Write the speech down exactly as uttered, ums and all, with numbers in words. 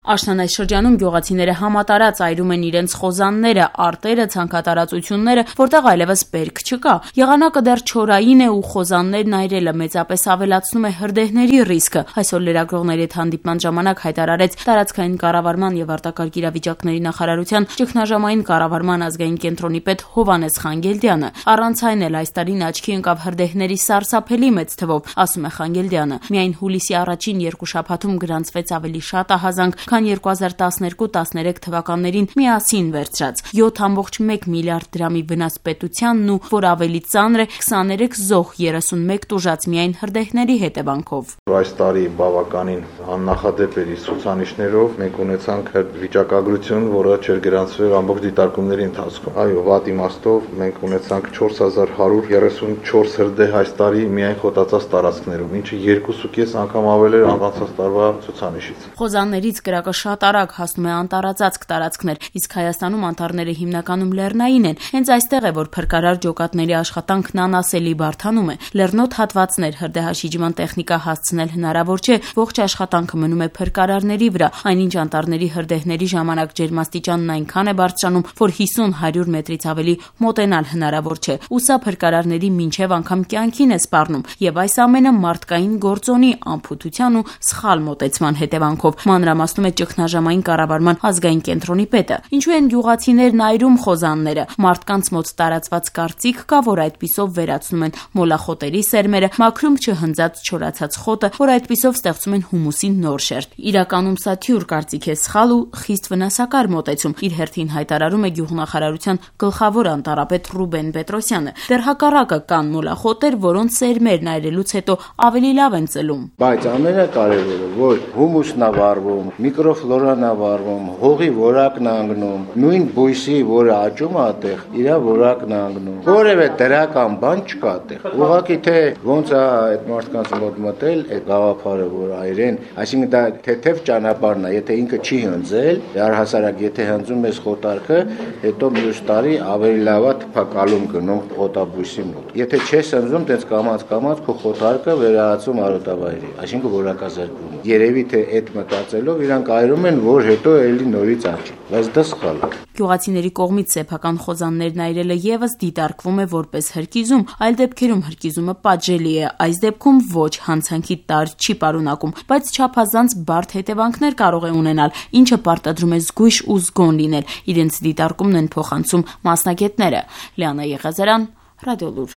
Աշնան այս շրջանում գյուղացիները համատարած այրում են իրենց խոզանները, արտերը, ցանքատարածությունները, որտեղ այլևս բերք չկա։ Եղանակը դեռ չորային է ու խոզաններն այրելը մեծապես ավելացնում է հրդեհների ռիսկը։ Այսօր լրագրողների հետ հանդիպման ժամանակ հայտարարեց տարածքային կառավարման եւ արտակարգ իրավիճակների նախարարության ճգնաժամային կառավարման ազգային կենտրոնի պետ Հովհաննես Խանգելդյանը։ Առանց այն էլ այս տարին աչքի ընկավ հրդեհների սարսափելի մեծ թվով, ասում է Խանգելդյանը։ Միայն հուլիսի առաջին երկու շաբաթում գրանցվեց ավելի շատ ահազանգ, քան երկու հազար տասներկու տասներեք թվականներին միասին վերցրած յոթ կόμma մեկ միլիարդ դրամի վնաս պետությանն ու որ ավելի ծանր է քսաներեք զոհ երեսունմեկ տուժած միայն հրդեհների հետևանքով։ Այս տարի բավականին աննախադեպ էր ցուցանիշներով, մենք ունեցանք վիճակագրություն, որը չէր գրանցվել ամբողջ դիտարկումների ընթացքում։ Այո, վատ իմաստով մենք ունեցանք չորս հազար հարյուր երեսունչորս հրդեհ այս տարի միայն խոտածած տարածքներում, ինչը երկու կես անգամ ավել էր անցած տարվա ցուցանիշից։ Խոզաններից կրակը շատ արագ հասնում է անտարածածկ տարածքներ, իսկ Հայաստանում անտառները հիմնականում լեռնային են։ Հենց այստեղ է, որ փրկարար ջոկատների աշխատանքն անասելի բարդանում է։ Լեռնոտ հատվածներ հրդեհաշիջման տեխնիկա հասցնել հնարավոր չէ, ողջ աշխատանքը մնում է փրկարարների վրա, այնինչ անտառների հրդեհների ժամանակ ջերմաստիճանն այնքան է բարձրանում, որ հիսուն հարյուր մետրից ավելի մոտենալ հնարավոր չէ։ Ու սա փրկարարների մինչև անգամ կյանքին է սպառնում, եւ այս ամենը մարդկային գործոնի, անփութության ու սխալ մոտեցման հետևանքով, մանրամասնում է ճգնաժամային կառավարման ազգային կենտրոնի պետը։ Ինչու են գյուղացիներն այրում խոզանները։ Մարդկանց մոտ տարածված կարծիք կա, որ այդպիսով վերացնում են մոլախոտերի սերմերը, մաքրում չհնձած չորացած խոտը, որ այդպիսով ստեղծում են հումուսի նոր շերտ։ Իրականում սա թյուր կարծիք է, սխալ ու խիստ վնասակար մոտեցում, իր հերթին հայտարարում է գյուղնախարարության գլխավոր անտառապետ Ռուբեն Պետրոսյանը։ Դեռ հակառակը կան մոլախոտեր, որոնց սերմերն այրելուց հետո ավելի լավ են ծլում։ Բայց ամենակարևորը, որ հումուսն է վառվում, միկրոֆլորան է վառվում, հողի որակն է անգնում, նույն բույսի, որը աճում է այդտեղ, իր որակն է անգնում։ Որևէ դրական բան չկա այդտեղ։ Ուղղակի թե ոնց է այդ մարդկանց մոտ մտել այդ գաղափարը, որ այրեն, այսինքն դա թեթև ճանապարհն է, եթե ինքը չի հնձել, առհասարակ եթե հնձում ես խոտարկը, հետո մյուս տարի ավելի լավ է թփակալում գնում խոտաբույսի մոտ։ Եթե չես հնձում, տենց կամած-կամած քո խոտարկը վերահացում արոտավայրի, այսինքն որակազրկվում։ Երևի թե այդ մտածելով իրանք այրում են, որ հետո էլի նորից աճի, բայց դա սխալ է։ Գյուղացիների կողմից սեփական խոզաններն այրելը եւս դիտարկվում է որպես հրկիզում, այլ դեպքերում հրկիզումը պատժելի է, այս դեպքում ոչ, հանցանքի տար չի պարունակում, բայց չափազանց բարդ հետևանքներ կարող է ունենալ, ինչը պարտադրում է զգույշ ու զգոն լինել։ Իրենց դիտարկումն են փոխանցում մասնագետները։ Լիանա Եղիազարյան, Ռադիոլուր։